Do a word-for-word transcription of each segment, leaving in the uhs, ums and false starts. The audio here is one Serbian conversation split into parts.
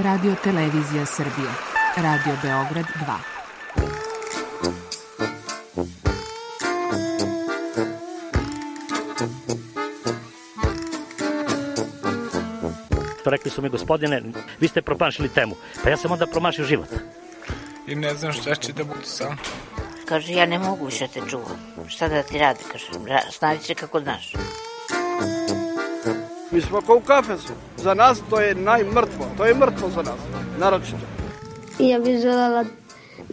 Radio Televizija Srbije. Radio Beograd dva. Rekli su mi, gospodine, vi ste promašili temu. Pa ja sam onda promašio život. I ne znam šta će da budu sam. Kaže, ja ne mogu više te čuvam. Šta da ti radi, kaže, snađi se kako znaš. Mi smo kao u kafesu. Za nas to je najmrtvo. To je mrtvo za nas, naročito. Ja bih želela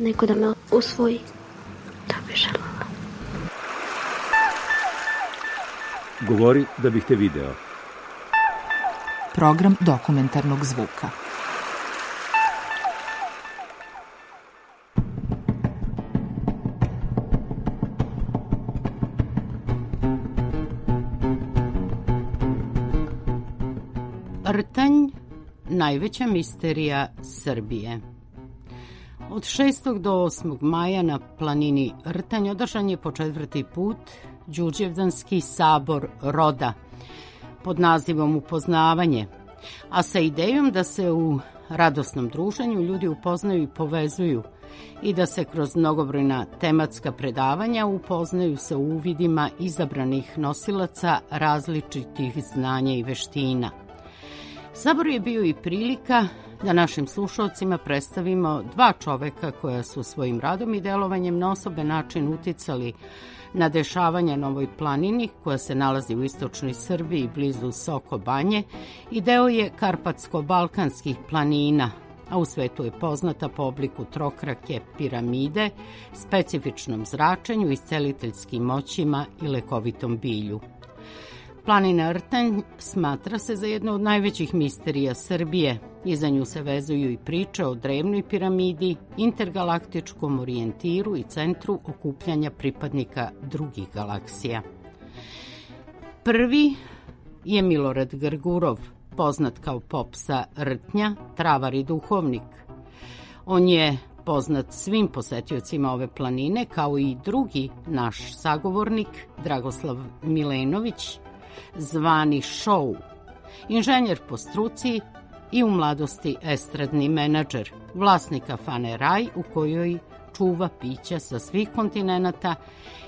neko da me usvoji. To bih želela. Govori da bih te video. Program dokumentarnog zvuka. Rtanj, najveća misterija Srbije. Od šestog do osmog maja na planini Rtanj održan je po četvrti put Đurđevdanski sabor roda pod nazivom Upoznavanje, a sa idejom da se u radosnom druženju ljudi upoznaju i povezuju i da se kroz mnogobrojna tematska predavanja upoznaju sa uvidima izabranih nosilaca različitih znanja i veština. Sabor je bio i prilika da našim slušalcima predstavimo dva čoveka koja su svojim radom i delovanjem na osoben način uticali na dešavanja na ovoj planini koja se nalazi u istočnoj Srbiji blizu Soko Banje i deo je karpatsko-balkanskih planina, a u svetu je poznata po obliku trokrake piramide, specifičnom zračenju, isceliteljskim moćima i lekovitom bilju. Planina Rtanj smatra se za jednu od najvećih misterija Srbije. Iza nju se vezuju i priče o drevnoj piramidi, intergalaktičkom orijentiru i centru okupljanja pripadnika drugih galaksija. Prvi je Milorad Grgurov, poznat kao pop sa Rtnja, travar i duhovnik. On je poznat svim posetiocima ove planine, kao i drugi naš sagovornik, Dragoslav Milenović, zvani Šou, inženjer po struci i u mladosti estradni menadžer, vlasnik kafane Raj u kojoj čuva pića sa svih kontinenata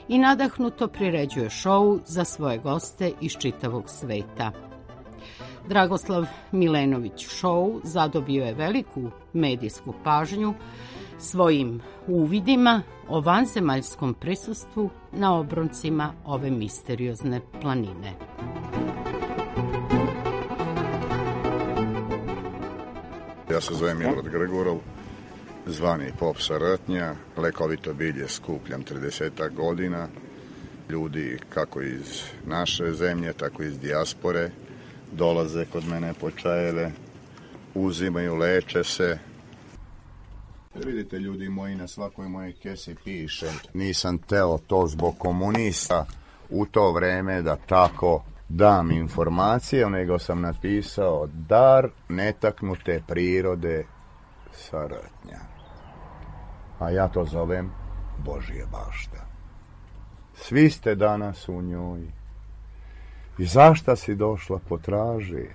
i nadahnuto priređuje šou za svoje goste iz čitavog sveta. Dragoslav Milenović Šou zadobio je veliku medijsku pažnju svojim uvidima o vanzemaljskom prisustvu na obroncima ove misteriozne planine. Ja se zovem Milorad Grgurov, zvani pop sa Rtnja, lekovito bilje skupljam tridesetak godina. Ljudi kako iz naše zemlje, tako iz dijaspore dolaze kod mene po čajeve, uzimaju, leče se. Vidite, ljudi moji, na svakoj mojej kesi piše: nisam teo to zbog komunista u to vreme da tako dam informacije, nego sam napisao dar netaknute prirode sa Rtnja. A ja to zovem Božje bašta. Svi ste danas u njoj. I zašta si došla potraži?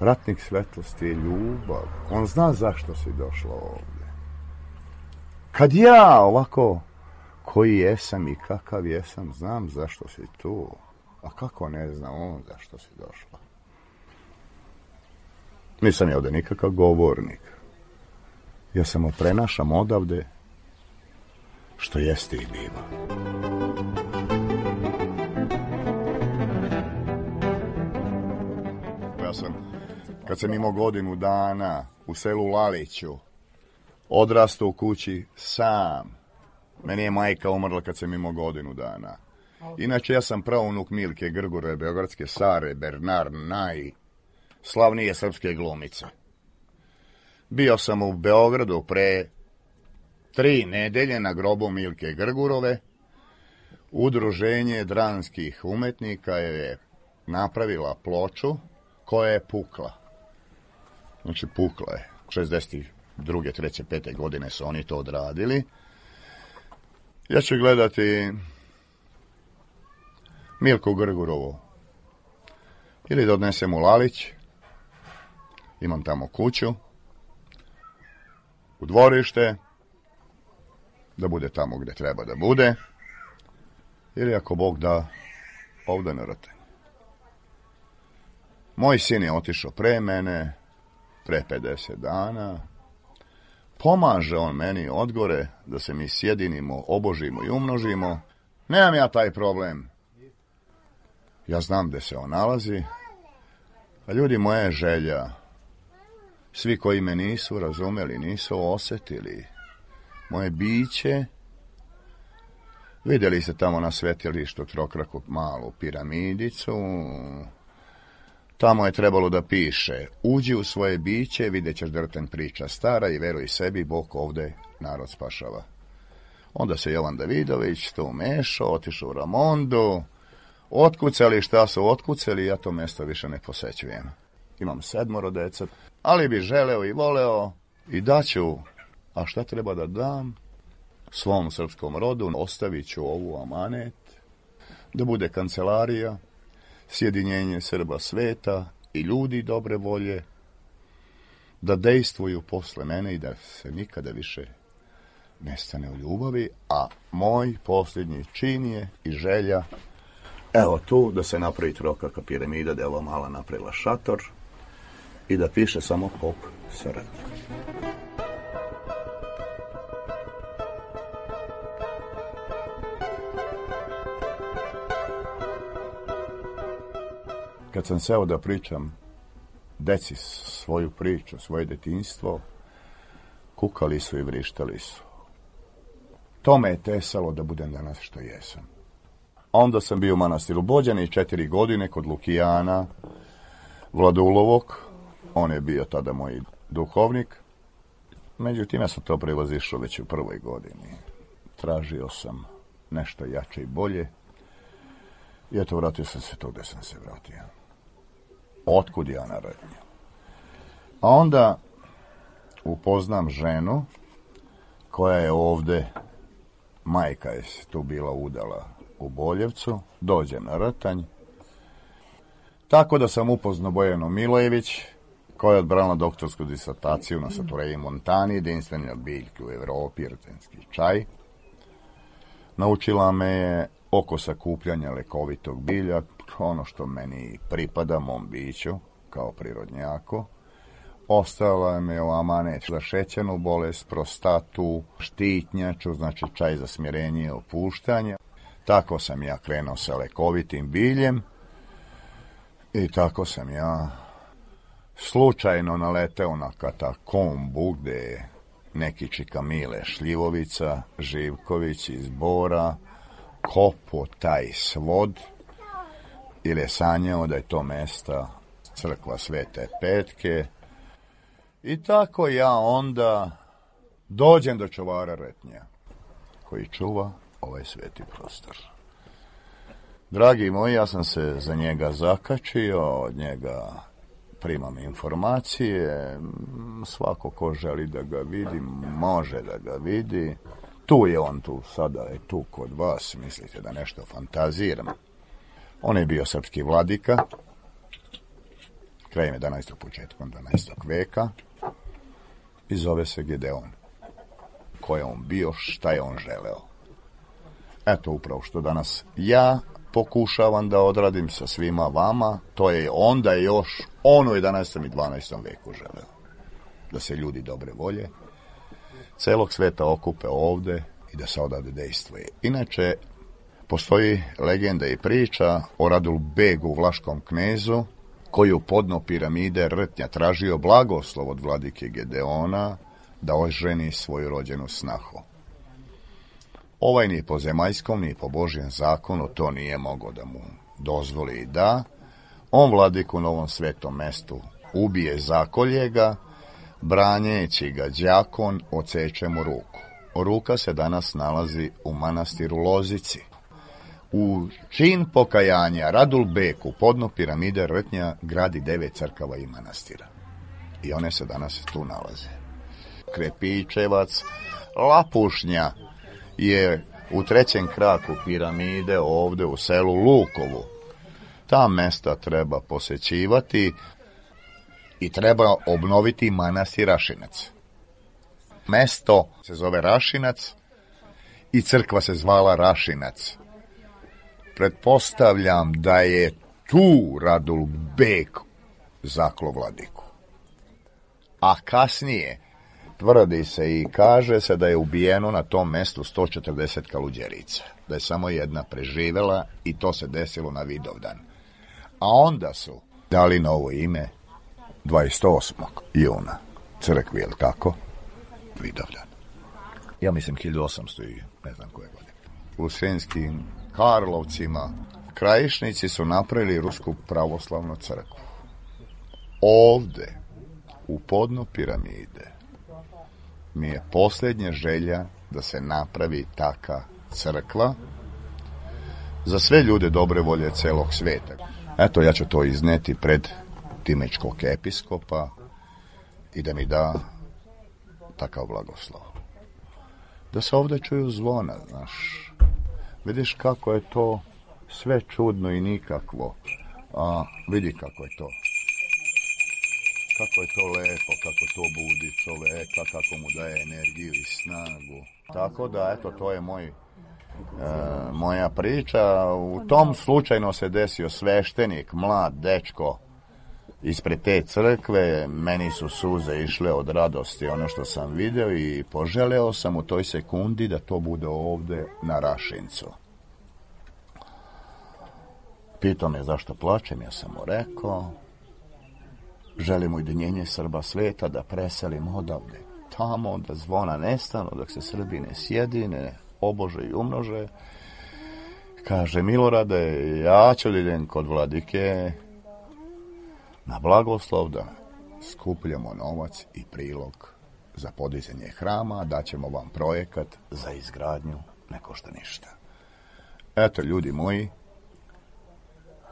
Ratnik svetlosti je ljubav. On zna zašto si došla ovdje. Kad ja ovako, koji jesam i kakav jesam, znam zašto si tu. A kako ne znam on zašto si došla? Nisam ja ovdje nikakav govornik. Ja samo prenašam odavde što jeste i biva. Ja sam, kad sam imao godinu dana u selu Laliću, odrastao u kući sam. Meni je majka umrla kad sam imao godinu dana. Inače, ja sam praunuk Milke Grgurove, beogradske Sare Bernard Naj, slavnije srpske glumice. Bio sam u Beogradu pre tri nedelje na grobu Milke Grgurove. Udruženje dranskih umetnika je napravila ploču koja je pukla. Znači, pukla je. šezdeset druge, treće, pete godine su oni to odradili. Ja ću gledati Milku Grgurovu. Ili da odnesem u Lalić, Imam tamo kuću, u dvorište, da bude tamo gdje treba da bude, ili ako Bog da, ovdje na Rtanj. Moj sin je otišao pre mene, pre pedeset dana. Pomaže on meni odgore da se mi sjedinimo, obožimo i umnožimo. Nemam ja taj problem. Ja znam gde se on nalazi. A ljudi, moja je želja, svi koji me nisu razumeli, nisu osjetili moje biće, vidjeli ste tamo na svetilištu trokraku malu piramidicu. Tamo je trebalo da piše: uđi u svoje biće, vidjet ćeš da Rtanj priča stara i veruj sebi, Bog ovde narod spašava. Onda se Jovan Davidović tu mešao, otišao u Ramondu, otkucali šta su otkucali, ja to mjesto više ne posećujem. Imam sedmoro deca, ali bi želeo i voleo i daću, a šta treba da dam svom srpskom rodu, ostavit ću ovu amanet, da bude kancelarija, sjedinjenje Srba sveta i ljudi dobre volje, da dejstvuju posle mene i da se nikada više nestane u ljubavi, a moj posljednji čin je i želja, evo tu, da se napravi trokaka piramida, da je ova mala napravila šator i da piše samo pop Saradnja. Kad sam seo da pričam deci svoju priču, svoje detinjstvo, kukali su i vrištali su. To me je tesalo da budem danas što jesam. Onda sam bio u manastiru Bođani četiri godine kod Lukijana Vladulovog. On je bio tada moj duhovnik. Međutim, ja sam to prevazišao već u prvoj godini. Tražio sam nešto jače i bolje. I eto, vratio sam se to gde sam se vratio. Otkud ja na Rtnju? A onda upoznam ženu koja je ovde, majka je tu bila udala u Boljevcu, dođem na Rtanj. Tako da sam upoznao Bojanu Milojević, koja je odbranila doktorsku disertaciju na Satureji Montani, jedinstveni od biljke u Evropi, rtenski čaj. Naučila me je oko sakupljanja lekovitog bilja, ono što meni pripada, mom biću, kao prirodnjaku. Ostala me u amanet za šećernu bolest, prostatu, štitnjaču, znači čaj za smirenje i opuštanje. Tako sam ja krenuo sa lekovitim biljem i tako sam ja slučajno naleteo na katakombu gde je neki čika Mile Šljivovica, Živković iz Bora, kopo taj svod, ili je sanjao da je to mesta crkva Svete Petke. I tako ja onda dođem do čuvara Rtnja, koji čuva ovaj sveti prostor. Dragi moji, ja sam se za njega zakačio, od njega primam informacije, svako ko želi da ga vidi, može da ga vidi. Tu je on, tu sada je tu kod vas, mislite da nešto fantaziram. On je bio srpski vladika, krajem jedanaestog početkom dvanaestog veka, i zove se Gedeon. Ko je on bio, šta je on želeo. Eto upravo što danas ja pokušavam da odradim sa svima vama, to je onda još on u jedanaestom i dvanaestom veku želeo. Da se ljudi dobre volje celog sveta okupe ovde i da se odavde dejstvuje. Inače, postoji legenda i priča o Radul Begu, vlaškom knezu, koji u podno piramide Rtnja tražio blagoslov od vladike Gedeona da oženi svoju rođenu snahu. Ovaj ni po zemaljskom, ni po Božjem zakonu to nije mogo da mu dozvoli i da. On vladiku na ovom svetom mestu ubije, zakolje ga, branjeći ga đakon odseče mu ruku. Ruka se danas nalazi u manastiru Lozici. U čin pokajanja Radul Bek u podno piramide Rtnja gradi devet crkava i manastira. I one se danas tu nalaze. Krepičevac, Lapušnja je u trećem kraku piramide ovde u selu Lukovu. Ta mesta treba posećivati. i treba obnoviti manastir Rašinac. Mesto se zove Rašinac i crkva se zvala Rašinac. Pretpostavljam da je tu Radul Beg zaklo vladiku. A kasnije tvrdi se i kaže se da je ubijeno na tom mestu sto četrdeset kaluđerica. Da je samo jedna preživela i to se desilo na Vidovdan. A onda su dali novo ime dvadeset osmog juna crkvi, je li tako? Vidovdan. Ja mislim hiljadu osamsto i ne znam koje godine. U Sremskim Karlovcima krajišnici su napravili Rusku pravoslavnu crkvu. Ovde, u podno piramide, mi je posljednja želja da se napravi taka crkva za sve ljude dobre volje celog sveta. Eto, ja ću to izneti pred Timečkog episkopa i da mi da takav blagoslov. Da se ovdje čuju zvona, znaš. Vidiš kako je to sve čudno i nikakvo. A vidi kako je to. Kako je to lepo, kako to budi čoveka, kako mu daje energiju i snagu. Tako da, eto, to je moj, e, moja priča. U tom slučajno se desio sveštenik, mlad dečko, ispred te crkve. Meni su suze išle od radosti ono što sam video i poželeo sam u toj sekundi da to bude ovde na Rašincu. Pitao me zašto plačem, ja sam mu rekao, želim ujedinjenje Srba sveta, da preselim odavde tamo, da zvona nestanu, dok se Srbi ne sjedine, obože i umnože. Kaže, Milorade, ja ću da idem kod vladike na blagoslov da skupljamo novac i prilog za podizanje hrama, daćemo vam projekat za izgradnju, ne košta ništa. Eto, ljudi moji,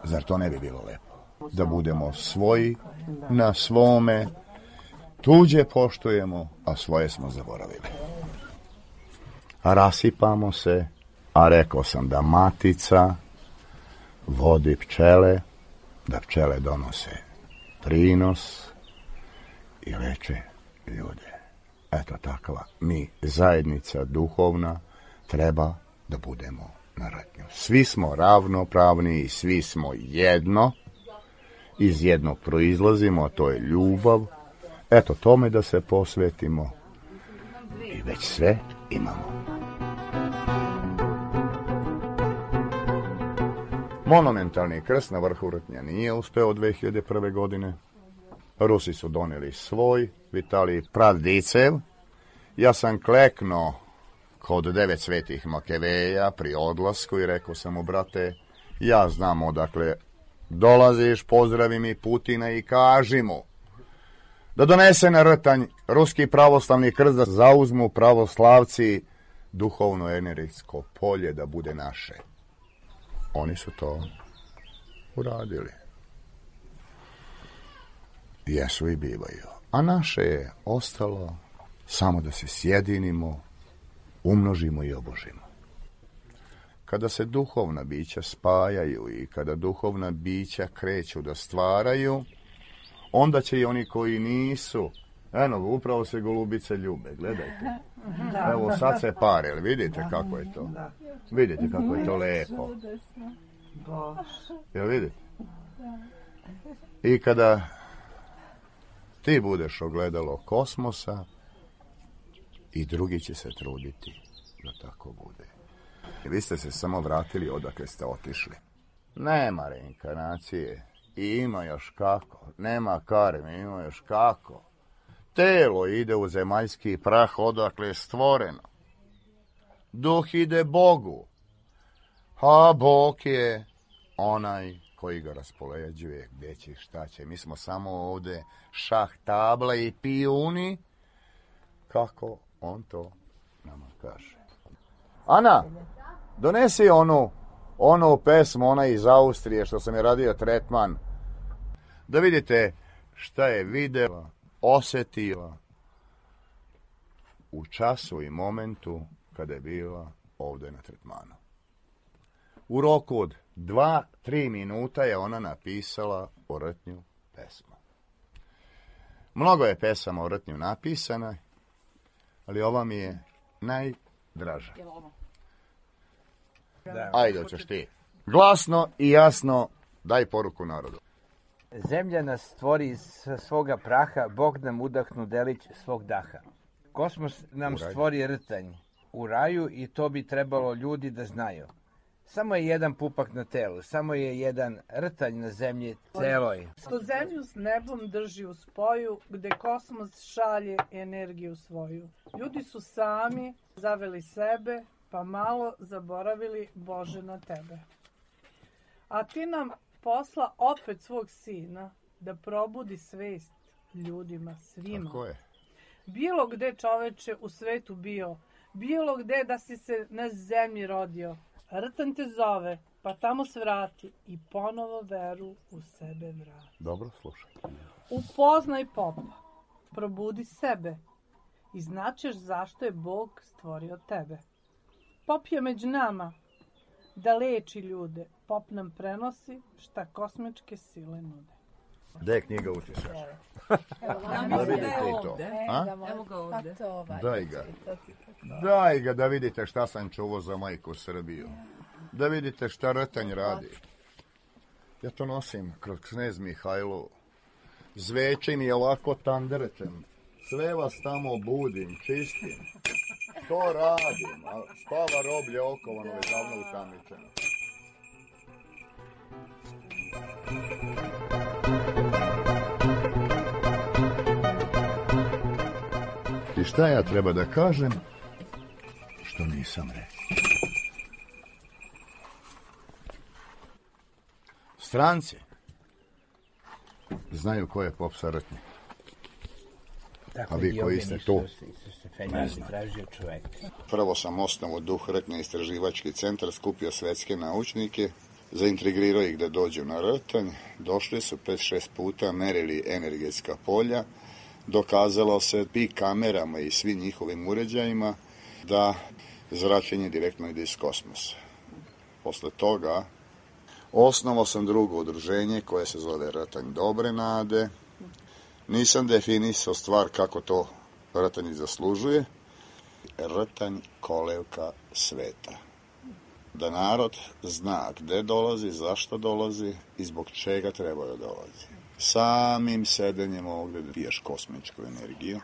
zar to ne bi bilo lepo? Da budemo svoji na svome, tuđe poštujemo, a svoje smo zaboravili. Rasipamo se, a rekao sam da matica vodi pčele, da pčele donose prinos i leče ljude. Eto takva, mi, zajednica duhovna, treba da budemo na ratnju. Svi smo ravnopravni i svi smo jedno, iz jednog proizlazimo, a to je ljubav. Eto tome da se posvetimo i već sve imamo. Monumentalni krst na vrhu Rtnja nije uspeo dve hiljade prve. godine. Rusi su doneli svoj, Vitalij Pravdicev. Ja sam kleknuo kod devet svetih Makeveja pri odlasku i rekao sam mu, brate, ja znam odakle dolaziš, pozdravi mi Putina i kaži mu da donese na Rtanj ruski pravoslavni krst, da zauzmu pravoslavci duhovno energetsko polje da bude naše. Oni su to uradili. Jesu i bivaju. A naše je ostalo samo da se sjedinimo, umnožimo i obožimo. Kada se duhovna bića spajaju i kada duhovna bića kreću da stvaraju, onda će i oni koji nisu, eno, upravo se golubice ljube, gledajte. Evo sad se pare, ali vidite kako je to? Vidite kako je to lepo. Jel vidite? I kada ti budeš ogledalo kosmosa, i drugi će se truditi da tako bude. Vi ste se samo vratili odakle ste otišli. Nema reinkarnacije. I ima još kako. Nema karme, ima još kako. Telo ide u zemaljski prah odakle je stvoreno. Duh ide Bogu. A Bog je onaj koji ga raspoređuje, gdje će, šta će. Mi smo samo ovde šah tabla i pijuni. Kako on to nama kaže. Ana, donesi onu, onu pesmu, ona iz Austrije, što sam je radio tretman, da vidite šta je videla, osjetila u času i momentu kada je bila ovdje na tretmanu. U roku od dva, tri minuta je ona napisala o Rtnju pesmu. Mnogo je pesama o Rtnju napisana, ali ova mi je najdraža. Ajde, hoćeš ti. Glasno i jasno daj poruku narodu. Zemlja nas stvori iz svoga praha, Bog nam udahnu delić svog daha. Kosmos nam stvori rtanj u raju i to bi trebalo ljudi da znaju. Samo je jedan pupak na telu, samo je jedan rtanj na zemlji celoj. Što zemlju s nebom drži u spoju, gde kosmos šalje energiju svoju. Ljudi su sami zaveli sebe, pa malo zaboravili Bože na tebe. A ti nam posla opet svog sina da probudi svest ljudima, svima. Tako je. Bilo gde čoveče u svetu bio, bilo gde da si se na zemlji rodio, rtanj te zove, pa tamo svrati i ponovo veru u sebe vrati. Dobro, slušaj. Upoznaj popa, probudi sebe i značeš zašto je Bog stvorio tebe. Pop je među nama da leči ljude, pop nam prenosi šta kosmičke sile nude. Gde je knjiga utisaš? Da vidite i to. Evo ga ovde. Daj ga. Daj ga da vidite šta sam čuvao za majku Srbiju. Da vidite šta rtanj radi. Ja to nosim kroz Knez Mihajlo. Zvečim i ovako tandrećem. Sve vas tamo budim, čistim. To radim, a spava roblje okovano je davno utamničeno. I šta ja treba da kažem što nisam rekao? Stranci znaju ko je pop sa Rtnje. A vi koji ste tu? Ne znate. Prvo sam osnovo Duh Rtnje istraživački centar, skupio svetske naučnike, zaintrigirao ih da dođu na Rtanj, došli su pet šest puta, merili energetska polja, dokazalo se i kamerama i svim njihovim uređajima da zračenje direktno ide iz kosmosa. Posle toga osnovao sam drugo udruženje koje se zove Rtanj Dobre Nade. Nisam definisao stvar kako to Rtanj zaslužuje. Rtanj kolevka sveta. Da narod zna gde dolazi, zašto dolazi i zbog čega treba da dolazi. Samim sedenjem ovdje da piješ kosmičku energiju.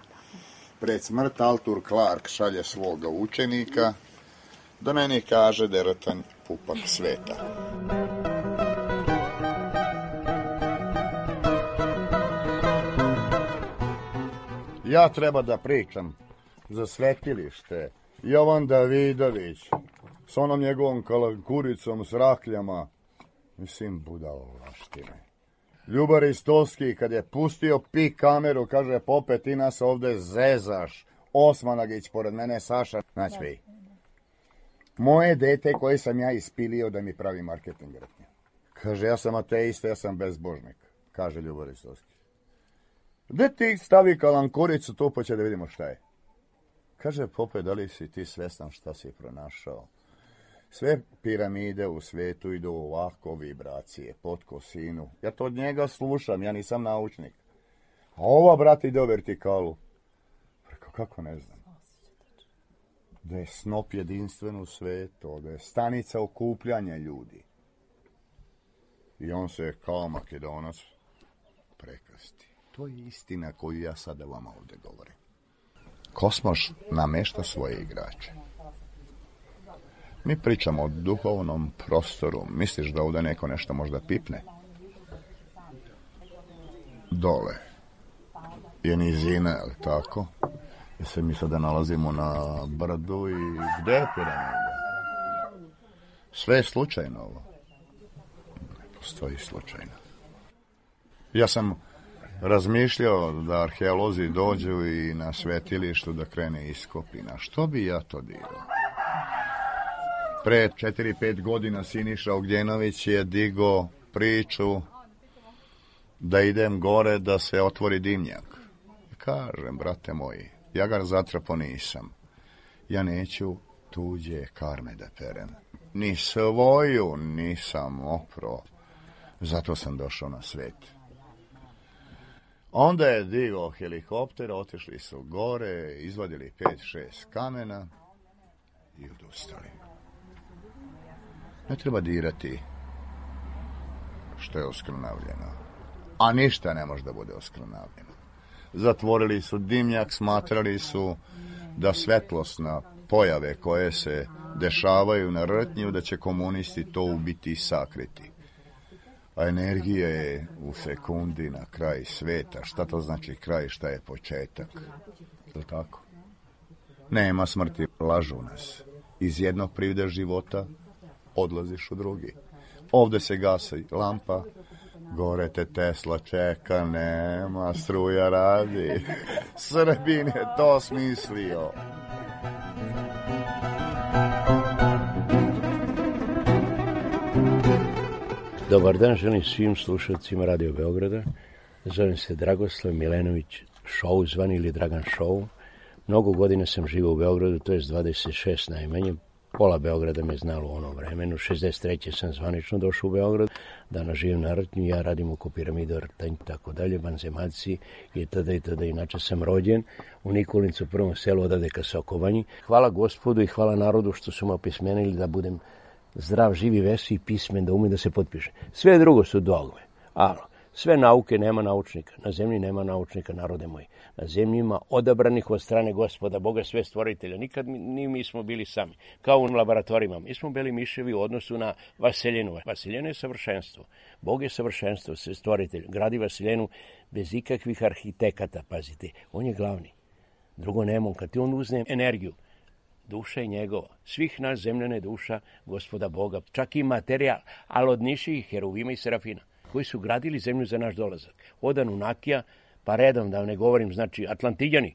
Pred smrt Arthur Clarke šalje svoga učenika da meni kaže da je Rtanj pupak sveta. Ja treba da pričam za svetilište. Jovan Davidović s onom njegovom kalankuricom, s rakljama. Mislim, budalaštine. Ljubar Istolski, kad je pustio pik kameru, kaže, Pope, ti nas ovde zezaš. Osmanagić, pored mene, Saša. Znači vi. Moje dete koje sam ja ispilio da mi pravi marketing Rtnje. Kaže, ja sam ateista, ja sam bezbožnik, kaže Ljubar Istolski. Gde ti stavi kalankuricu tu, pa će da vidimo šta je. Kaže, Pope, da li si ti svestan šta si pronašao? Sve piramide u svetu idu ovako vibracije, pod kosinu. Ja to od njega slušam, ja nisam naučnik. A ova, brate, ide u vertikalu. Preko, kako ne znam. Da je snop jedinstven u svetu, da je stanica okupljanja ljudi. I on se kao Makedonac prekrsti. To je istina koju ja sada vama ovde govorim. Kosmos namešta svoje igrače. Mi pričamo o duhovnom prostoru. Misliš da ovdje neko nešto možda pipne? Dole je nizina, ali tako? Jer se mi sada nalazimo na brdu i gde je piramida? Sve je slučajno ovo. Ne postoji slučajno. Ja sam razmišljao da arheolozi dođu i na svetilištu da krene iskopi. Na što bi ja to dirao? Pre četiri pet godina Siniša Ognjenović je digao priču da idem gore da se otvori dimnjak. Kažem, brate moji, ja ga zatrapo nisam. Ja neću tuđe karme da perem. Ni svoju nisam opro. Zato sam došao na svet. Onda je digao helikopter, otišli su gore, izvadili pet šest kamena i odustali. Ne treba dirati što je oskrnavljeno, a ništa ne može da bude oskrnavljeno. Zatvorili su dimnjak, smatrali su da svetlosna pojave koje se dešavaju na Rtnju, da će komunisti to ubiti i sakriti. A energija je u sekundi na kraj sveta. Šta to znači kraj, šta je početak? Je li tako? Nema smrti, lažu nas. Iz jednog privida života odlaziš u drugi. Ovde se gasi lampa, gore te Tesla čeka, nema, struja radi. Srbin je to smislio. Dobar dan, želim svim slušalcima Radio Beograda. Zovem se Dragoslav Milenović Show, zvani ili Dragan Show. Mnogo godina sam živio u Beogradu, to je dvadeset šest najmanje. Pola Beograda me znalo u onom vremenu. šezdeset treće sam zvanično došao u Beograd. Danas živim na Rtnju, ja radim oko piramida Rtanj, tako dalje, banzemaci i tada i tada. Inače sam rođen u Nikolicu, prvom selu odavde ka Sokovanji. Hvala Gospodu i hvala narodu što su me opismenili da budem zdrav, živi, vesi i pismen, da umem da se potpiše. Sve drugo su dogme. Alo, sve nauke nema naučnika. Na zemlji nema naučnika, narode moji. Na zemlji ima odabranih od strane Gospoda, Boga, sve stvoritelja. Nikad ni mi smo bili sami. Kao u laboratorijima. Mi smo bili miševi u odnosu na Vaseljenu. Vaseljena je savršenstvo. Bog je savršenstvo, sve stvoritelj. Gradi Vaseljenu bez ikakvih arhitekata, pazite. On je glavni. Drugo nema. Kad ti on uzne energiju, duša je njegova. Svih nas zemljana je duša Gospoda Boga. Čak i materija, ali od niših heruvima i serafina, koji su gradili zemlju za naš dolazak. Od Anunakija, pa redom, da ne govorim, znači Atlantidjani.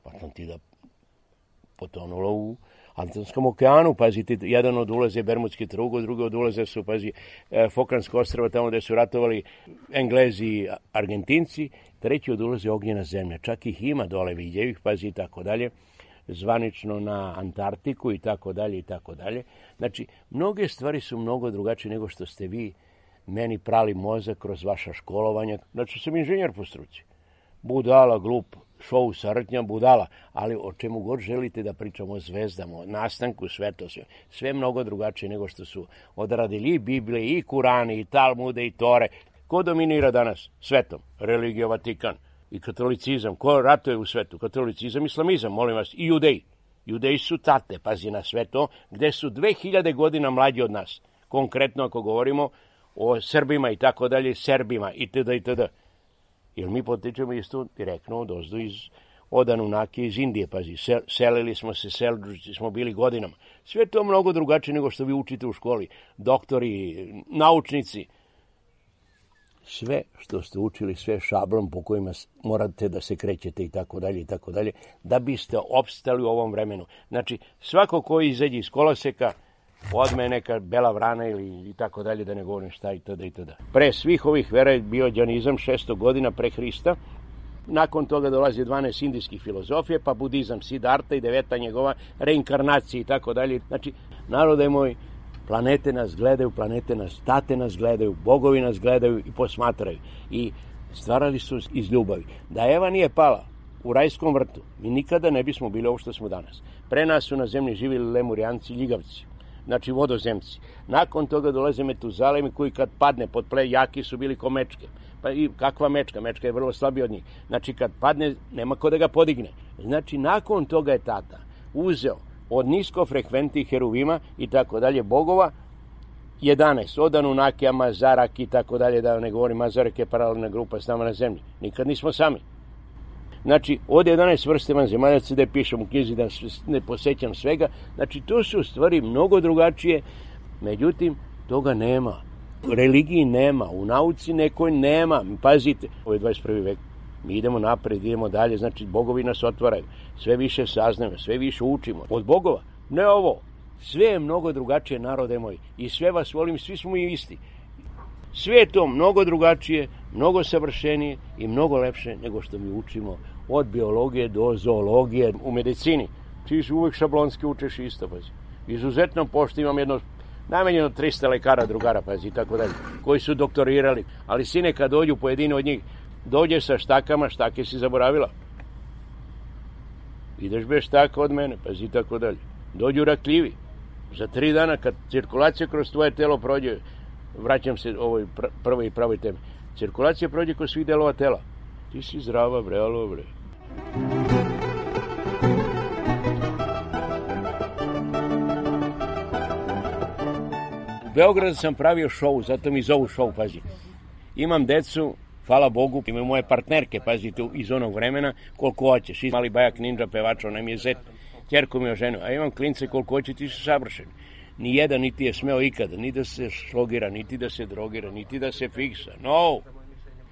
Atlantida potonula u Atlantskom okeanu, pazite, jedan od ulaze Bermudski trugao, drugi od ulaze su, pazi, Falklandsko ostrvo, tamo gde su ratovali Englezi i Argentinci, treći od ulaze Ognjena zemlja. Čak ih ima dole vidjevih, pazi, i tako dalje, zvanično na Antarktiku i tako dalje i tako dalje. Znači, mnoge stvari su mnogo drugačije nego što ste vi meni prali mozak kroz vaša školovanja. Znači, sam inženjer po struci. Budala, glup, šou sa Rtnja, budala, ali o čemu god želite da pričamo, o zvezdama, o nastanku sveta, sve, sve mnogo drugačije nego što su odradili i Biblije, i Kurani, i Talmude, i Tore. Ko dominira danas svetom? Religija, Vatikan i katolicizam. Ko ratuje u svetu? Katolicizam, islamizam, molim vas, i judeji. Judeji su tate, pazi na sve to, gde su dve hiljade godina mlađi od nas. Konkretno ako govorimo o Srbima i tako dalje, Serbima itd. itd. Jer mi potičemo isto direktno od ozdu iz od Anunakije iz Indije, pazi, sel, selili smo se, selđuci smo bili godinama. Sve to mnogo drugačije nego što vi učite u školi, doktori, naučnici. Sve što ste učili, sve šablom po kojima morate da se krećete i tako dalje i tako dalje, da biste opstali u ovom vremenu. Znači, svako ko izađe iz koloseka, odme neka bela vrana ili i tako dalje, da ne govorim šta i tada i tada. Pre svih ovih vera je bio đanizam šesto godina pre Hrista. Nakon toga dolazi dvanaest indijskih filozofije, pa budizam Siddharta i deveta njegova reinkarnacija i tako dalje. Znači, narode moj, planete nas gledaju, planete nas, tate nas gledaju, bogovi nas gledaju i posmatraju. I stvarali su iz ljubavi. Da Eva nije pala u rajskom vrtu, mi nikada ne bismo bili ovo što smo danas. Pre nas su na zemlji živjeli Lemurijanci i Ljigavci. Znači vodozemci. Nakon toga dolaze Metuzalemi koji kad padne pod ple jaki su bili ko mečke. Pa i kakva mečka? Mečka je vrlo slabija od njih. Znači kad padne nema ko da ga podigne. Znači nakon toga je tata uzeo od niskofrekventnih heruvima i tako dalje bogova jedanaest. Od Anunakija, Mazarak i tako dalje, da ne govorim, Mazarak je paralelna grupa s nama na zemlji. Nikad nismo sami. Znači, od jedanaest vrste vanzemaljaca, da pišem u knjizi da ne posećam svega, znači to su stvari mnogo drugačije, međutim, toga nema. U religiji nema, u nauci nekoj nema. Pazite, ovo je dvadeset prvi vek, mi idemo napred, idemo dalje, znači bogovi nas otvaraju, sve više saznajemo, sve više učimo. Od bogova, ne ovo, sve je mnogo drugačije, narode moji, i sve vas volim, svi smo i isti. Sve je to mnogo drugačije, mnogo savršenije i mnogo lepše nego što mi učimo od biologije do zoologije u medicini. Ti uvijek šablonski učeš isto, pazi. Izuzetno pošto imam jedno, najmanje tristo lekara, drugara, pazi, i tako dalje, koji su doktorirali. Ali sine, kad dođu pojedini od njih, Dođe sa štakama, štake si zaboravila. Ideš bez štaka od mene, pazi tako dalje. Dođu rakljivi. Za tri dana kad cirkulacija kroz tvoje telo prođe, vraćam se ovoj prvoj i pravoj temi, cirkulacija prođe kroz svih delova tela. Ti si zdrava, bre, alo, bre. U Beogradu sam pravio šou, zato mi zovu šou, pazi. Imam decu, hvala Bogu, imaju moje partnerke, pazite, iz onog vremena, koliko hoćeš. Mali bajak ninja pevač, onaj mi je zet, ćerku mi je oženio, a imam klince koliko hoće, ti su savršeni. Nijedan niti je smeo ikada, ni da se šlogira, niti da se drogira, niti da se fiksa. No,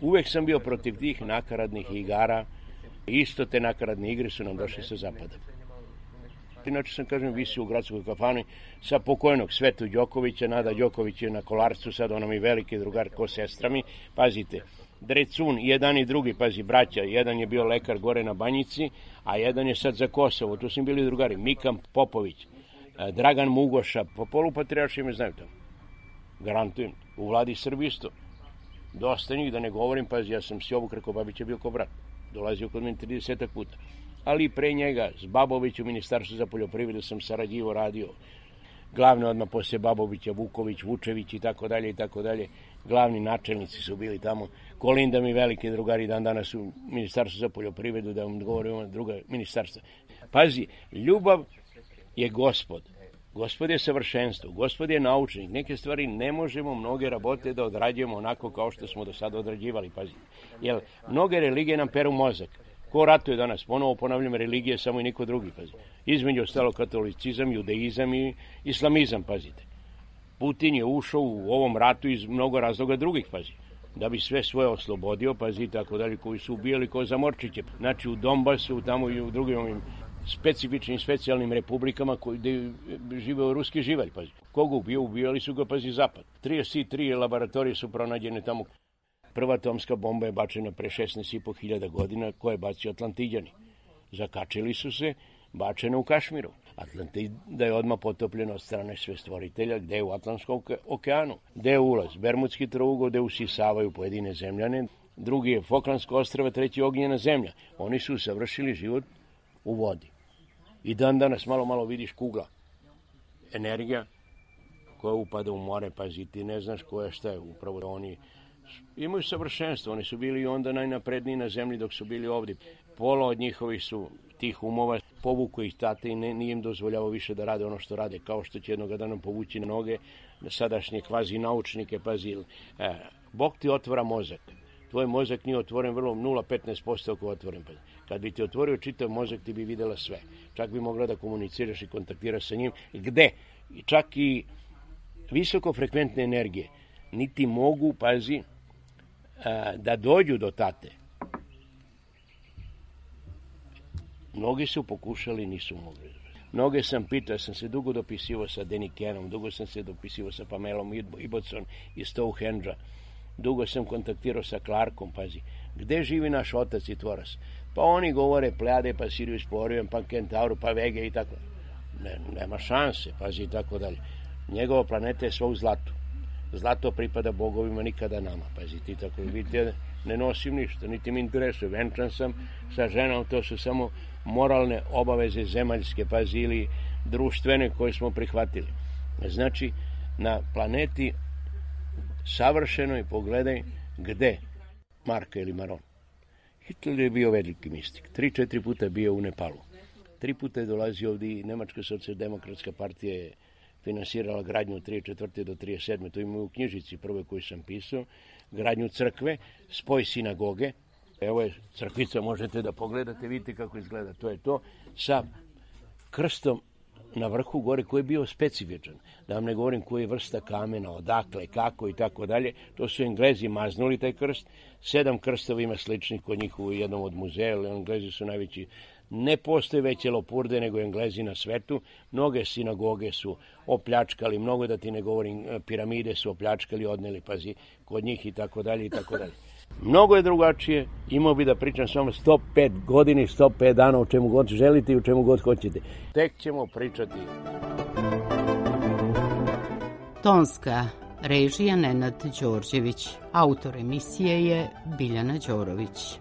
uvek sam bio protiv tih nakaradnih igara. Isto te nakaradne igre su nam došli sa zapada. Inače sam, kažem, visio u gradskoj kafani sa pokojnog Svetu Đokovića, Nada Đoković je na Kolarcu, sad ona mi veliki drugar ko sestra mi, pazite, Drecun, jedan i drugi, pazi, braća, jedan je bio lekar gore na Banjici, a jedan je sad za Kosovo, tu su bili drugari, Mikan Popović, Dragan Mugoša, po polupatrijarši me znaju tamo, garantujem, u vladi Srbije isto, dosta njih, da ne govorim, pazi, ja sam Sjovu Krkobabića bio ko brat, dolazio kod mene tridesetak puta, ali pre njega, s Babović u Ministarstvu za poljoprivredu sam sarađivo radio, glavne odmah posle Babovića, Vuković, Vučević i tako dalje i tako dalje, glavni načelnici su bili tamo, Kolinda mi veliki drugari dan danas u Ministarstvu za poljoprivredu, da vam govorim druga ministarstva. Pazi, ljubav je gospod, gospod je savršenstvo, gospod je naučnik, neke stvari ne možemo mnoge rabote da odrađujemo onako kao što smo do sada odrađivali, pazi, jer mnoge religije nam peru mozak. Ko ratuje danas? Ponovo ponavljam, religije samo i niko drugi, pazi. Između ostalo katolicizam, judeizam i islamizam, pazite. Putin je ušao u ovom ratu iz mnogo razloga drugih, pazi. Da bi sve svoje oslobodio, pazi, tako dalje, koji su ubijali ko zamorčiće. Znači u Donbasu, tamo i u drugim ovim specifičnim, specijalnim republikama koji žive u ruski živalj, pazi. Koga ubio? Ubijali su ga, pazi, zapad. trideset tri laboratorije su pronađene tamo. Prva atomska bomba je bačena pre šesnaest i po hiljada godina, koje je bacio Atlantidjani. Zakačili su se, bačena u Kašmiru. Atlantida je odmah potopljena od strane sve stvoritelja, gde je u Atlantskom okeanu, gde je ulaz, Bermudski trougao, gde usisavaju pojedine zemljane, drugi je Falklandsko ostrvo, treći ognjena zemlja. Oni su savršili život u vodi. I dan danas malo, malo vidiš kugla. Energija koja upada u more, pazi, ti ne znaš koja šta je, upravo oni imaju savršenstvo, oni su bili onda najnapredniji na zemlji dok su bili ovdje. Pola od njihovih su tih umova, povuku ih tate i ne, nije im dozvoljavao više da rade ono što rade, kao što će jednog dana povući na noge sadašnje kvazi naučnike, pazi, e, Bog ti otvara mozak. Tvoj mozak nije otvoren vrlo nula zarez petnaest posto ako otvoren. Pazi. Kad bi ti otvorio čitav mozak, ti bi videla sve. Čak bi mogla da komuniciraš i kontaktiraš sa njim. Gde? Čak i visokofrekventne energije niti mogu, pazi, da dođu do tate. Mnogi su pokušali, nisu mogli. Mnoge sam pitao, sam se dugo dopisivao sa Denikenom, dugo sam se dopisivao sa Pamelom Ibbotson iz Stonehenge-a, dugo sam kontaktirao sa Clarkom, pazi, gde živi naš otac i tvorac? Pa oni govore Plejade, pa Sirius, pa Orion, pa Kentauru, pa Vege i tako. Ne, nema šanse, pazi, i tako dalje. Njegova planeta je sva u zlatu. Zlato pripada bogovima, nikada nama, pazi, ti tako vidite, ne nosim ništa, niti mi interesuje, venčan sam sa ženom, to su samo moralne obaveze zemaljske, pazi, ili društvene koje smo prihvatili. Znači, na planeti savršenoj, pogledaj, gde? Marka ili Maron. Hitler je bio veliki mistik, tri, četiri puta je bio u Nepalu, tri puta je dolazio ovdje i Nemačka socijaldemokratska partija je finansirala gradnju od trideset četvrte do trideset sedme To imamo u knjižici prve koju sam pisao, gradnju crkve, spoj sinagoge. Evo je crkvica, možete da pogledate, vidite kako izgleda, to je to, sa krstom na vrhu gore koji je bio specifičan. Da vam ne govorim koji je vrsta kamena, odakle, kako i tako dalje. To su Englezi maznuli taj krst. Sedam krstova ima sličnih kod njih u jednom od muzeja, ali Englezi su najveći. Ne postoje veće lopurde nego Englezi na svetu. Mnoge sinagoge su opljačkali, mnogo da ti ne govorim, piramide su opljačkali, odneli, pazi, kod njih i tako dalje i tako dalje. Mnogo je drugačije, imao bi da pričam samo sto pet godini, sto pet dana, o čemu god želite i o čemu god hoćete. Tek ćemo pričati. Tonska režija Nenad Đorđević, autor emisije je Biljana Đorović.